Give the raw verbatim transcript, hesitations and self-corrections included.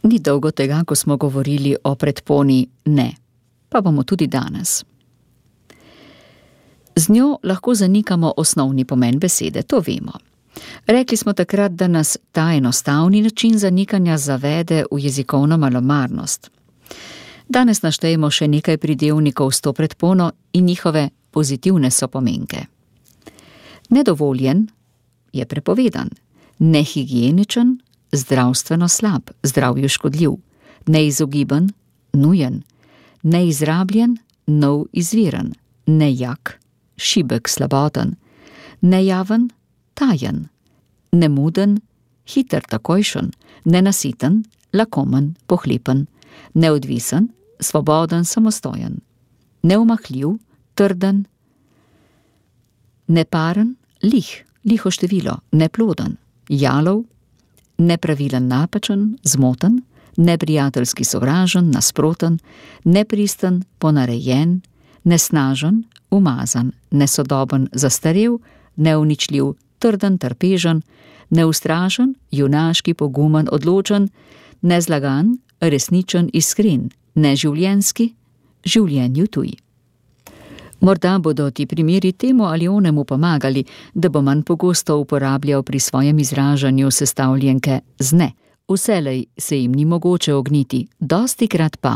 Ni dolgo tega, ko smo govorili o predponi ne, pa bomo tudi danes. Z njo lahko zanikamo osnovni pomen besede, to vemo. Rekli smo takrat, da nas ta enostavni način zanikanja zavede v jezikovno malomarnost. Danes naštejemo še nekaj pridevnikov s to predpono in njihove pozitivne sopomenke. Nedovoljen je prepovedan, nehigieničen, zdravstveno slab, zdravju škodljiv, neizogiben, nujen, neizrabljen, nov izviren, nejak, šibek, slaboten, nejaven, tajen, nemuden, hiter, takojšen, nenasiten, lakomen, pohlepen, neodvisen, svoboden, samostojen, neumahljiv, trden, neparen, lih, liho število, neploden, jalov, nepravilen, napačen, zmoten, neprijateljski, sovražen, nasproten, nepristen, ponarejen, nesnažen, umazan, nesodoben, zastarel, neuničljiv, trden, trpežen, neustrašen, junaški, pogumen, odločen, nezlagan, resničen, iskren, neživljenjski, življenju tuj. Morda bodo ti primeri temu ali onemu pomagali, da bo manj pogosto uporabljal pri svojem izražanju sestavljenke z ne. Vselej se jim ni mogoče ogniti, dostikrat pa